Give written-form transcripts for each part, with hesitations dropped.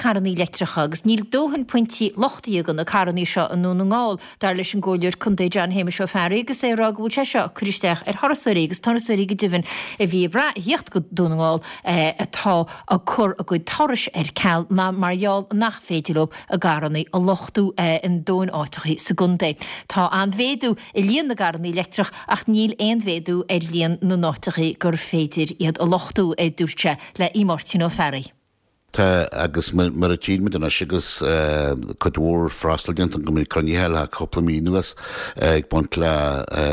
carrannaí leictreacha agus níl dóthain pointí luchtaithe do na carrannaí seo i nDún na nGall, dar leis an gComhairleoir Contae John Shéamuis Ó Fearraigh agus é ag rá go bhfuil sé seo ag cur isteach ar thurasóirí agus turasóirí go deimhin a bhí ag brath a thíocht go Dún na nGall atá ag cur a gcuid turais ar ceal mar gheall nach féidir leo a gcarrannaí a luchtú in dóthain áiteachaí sa gcontae. Tá an-mhéadú i líon na gcarrannaí leictreach ach níl aon mhéadú ar líon na n-áiteachaí gur féidir iad a luchtú, a dúirt sé le Máirtín Ó Fearraigh. Tá, agus mar a tchíonn muid anois agus cuid mhór freastal déanta go mbeidh cruinnithe le cúpla mí anuas ag baint le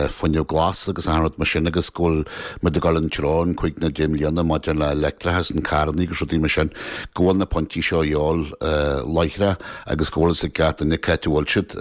fuinneamh glas agus achan rud mar sin agus go bhfuil muid ag dul an treo in 5 nó 10 mbliana maidir le leictreachas an carrannaí agus rudaí mar sin, go bhfuil na pointí seo a dhíobháil láithreach agus go bhfuil fhios ag gach duine cá háit a bhfuil siad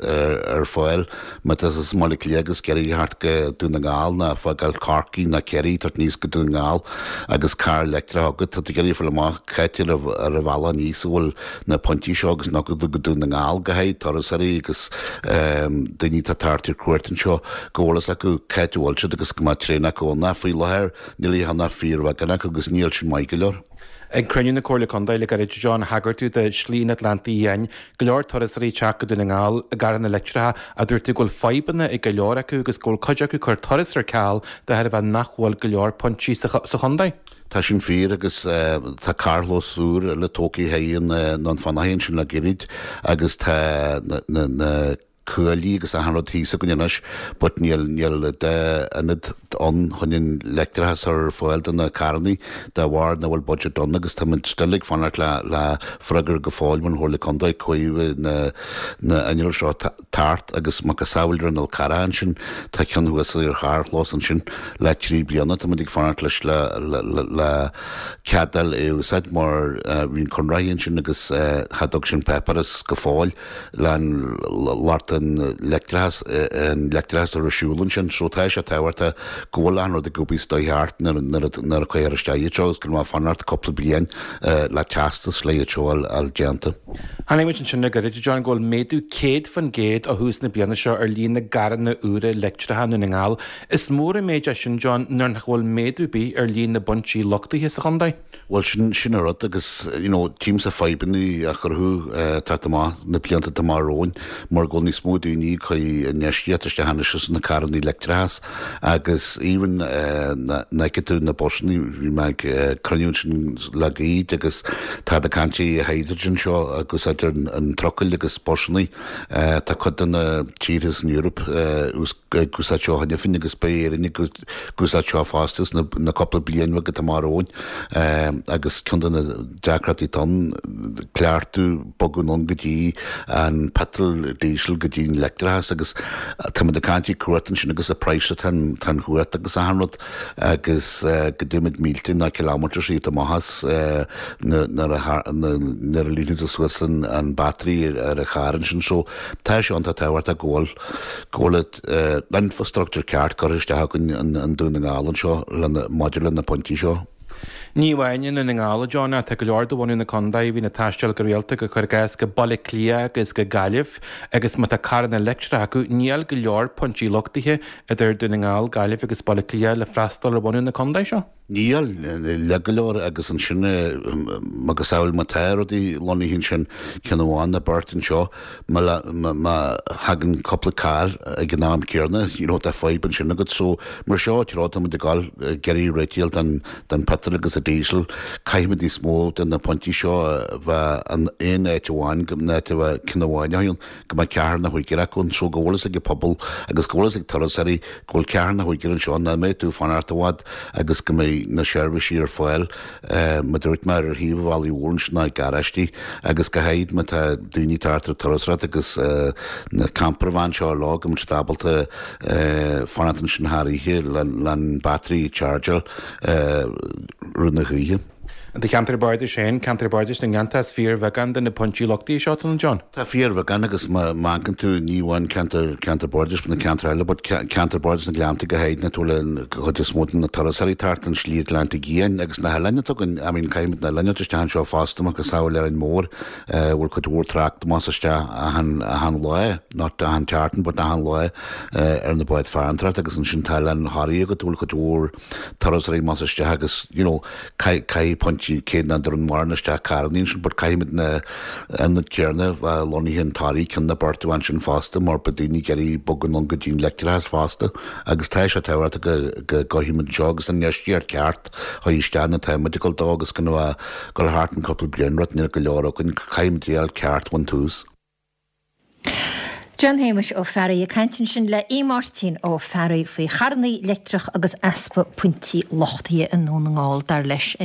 ar fáil. Má tá tú as Baile Átha Cliath agus ag iarraidh theacht go Dún na nGall ná fágáil Corcaigh ná Ciarraí tabhairt aníos go Dún na nGall agus carr leictreach agat, tá tú ag iarraidh fáil amach cá háit ar an bhealach aníos a bhfuil na pointí seo agus nach go Dún na nGall go háirithe turasóirí agus daoine atá ag tabhairt ar cuairt anseo go bhfuil fhios acu cá háit a bhfuil siad agus go mbeadh traein acu ann. Faoi láthair níl ach fíorbheagán acu agus níl sin maith go leor. Ag cruinniú na Comhairle Contae le gairid, John, thagair tú do Shlí an Atlantaigh Fhiáin, go leor turasóirí ag teacht go Dún na nGall i gcarranna leictreacha a dúirt tú go bhfuil fadhbanna ag go leor acu agus go bhfuil cuid acu ag cur turas ar ceal de thairbhe nach bhfuil go leor pointí sa chontae. Tá sin fíor agus tá carrchlós úr eile tógtha i nDún Fionnachaidh ansin le gairid agus tá na cuaillí agus achan rud thíos againn anois but níl, níl d'ionad ann chun an leictreachas a chur ar fáil do na carrannaí de bharr nach bhfuil budget ann agus táimid still ag fanacht le, le freagra go fóill ón Chomhairle Contae cá bhfuil na, na innill seo tart agus macasamhail ar an Fhál Carrach ansin tá ceann thuas ar charrchlós ansin le 3 bliana táimid ag fanacht leis le, le, le, le cead a fháil é a úsáid mar bhí an conraitheoir ansin agus cha dtug sin páipéaras go fóill. le an lucht an leictreachas, an leictreachas a chur ar siúl ansin. So tá sé tábhachtach go bhfuil achan rud ag obair sa dóigh cheart nuair a chuirtear isteach iad seo agus go mbeadh fanacht cúpla bliain le teastas le iad seo a fháil déanta. Chonaic muid ansin le gairid, John, go bhfuil méadú 100% ó thús na bliana seo ar líon na gcarranna úra leictreacha i nDún na nGall. Is mór an méid é sin, John, nuair nach bhfuil méadú ar bith ar líon na bpointí luchtaithe sa chontae. Bhuel, sin, sin an rud agus, you know, tchímse fadhbanna á chruthú teacht amach na blianta atá amach romhainn mar go bhfuil níos mó daoine ag cur infheistíocht isteach anois sna carrannaí leictreachas agus even na, na fheiceann tú na busannaí, bhí mé ag cruinniú ansin le gairid agus táid ag caint ar hydrogen seo agus idir an trucail agus busannaí, tá cuid de na tíortha san Eoraip ag úsáid seo cheana féin agus beidh Éirinn ag ag úsáid seo fosta sna na cúpla bliain bheag atá amach romhainn agus ceann de na deacrachtaí atá ann cleachtadh bogadh anonn go dtí an petrol diesel go dtí an leictreachas agus táimid ag caint ar chumhacht ansin agus an praghas atá an tá an chumhacht agus achan rud agus go dtéimid mílte ná kilometres iad amach as nuair a nuair a líonann tú suas an an battery ar an charr ansin so tá sé iontach tábhachtach go bhfuil go bhfuil an infrastructure ceart curtha isteach againn i nDún na nGall anseo maidir le na pointí seo. Ní amháin i nDún na nGall, a John, ach tá go leor de bhunadh na contae a bhíonn ag taisteal go rialta go cuir i gcás go Baile Átha Cliath agus go Gaillimh agus má tá carranna leictreacha acu, níl go leor pointí luchtaithe idir Dún na nGall, Gaillimh agus Baile Átha Cliath le freastal ar bhunadh na contae seo. Níl, le go leor agus ansin macasamhail má tá rudaí lonnaithe ansin, ceann amháin nó beirt anseo, má thagann cúpla carr ag an am céanna, you know, tá fadhb ansin agat. So, mar seo an treo atá muid ag dul, ag iarraidh réitigh don don petrol agus an diesel, caithfimid níos mó de na pointí seo a bheith in aon áit amháin, go n-áit a bheith ceann amháin a go mbeadh ceathrar nó cúigear acu anseo, go bhfuil fhios ag an pobal agus go bhfuil fhios ag turasóirí go bhfuil ceathrar nó cúigear anseo, nach mbeidh tú ag fanacht i bhfad agus go mbeidh na seirbhísí ar fáil, mar a dúirt mé, ar thaobh an bhealaigh mhóir ansin ná ag garáistí agus go háirid má tá daoine ag teacht ar turasóireacht agus na campervan seo leo go mbeidh siad ábalta fanacht ansin thar oíche le an battery a chargeáil rith na hoíche. I do cheantar bardais féin, ceantar bardais na nGleanntach, is fíorbheagán de na pointí luchtaithe seo atá ann, John. Tá fíorbheagán agus má amharcann tú ní amháin ceantar ceantar bardais na ceantair eile but ceantar bardais na nGleannta go háirid na bhfuil an chuid is mó de na turasóirí thart an Slí Atlantaigh Fhiáin agus na hoileáin atá againn, I mean caithfimid na hoileáin a thabhairt isteach anseo fosta macasamhail Árainn Mhór bhfuil cuid mhór trácht amach is isteach achan achan lá, not achan tseachtain but achan lá ar na báid farantóireachta agus ansin tá Oileán Thoraí agat a bhfuil cuid mhór turasóirí amach is isteach agus you know caithfidh pointí. pointí cé nach dtabharann mórán isteach carrannaí ansin but caithfimid na ionad céarna bheith lonnaithe in Toraigh ceann na beirt ansin fosta mar beidh daoine ag iarraidh bogadh anonn go dtí an leictreachas fosta agus tá sé tábhachtach go go gcaithfimid anseo agus an infheistíocht ceart a chur isteach na táimid ag dul dó agus go dul thart an cúpla bliain rud níl go leor againn caithfimid é a fháil ceart ón tús. John Shéamuis Ó Fearraigh ag caint ansin le Aodh Máirtín Ó Fearraigh faoi charrannaí leictreach agus easpa pointí luchtaithe i nDún na nGall dar leis.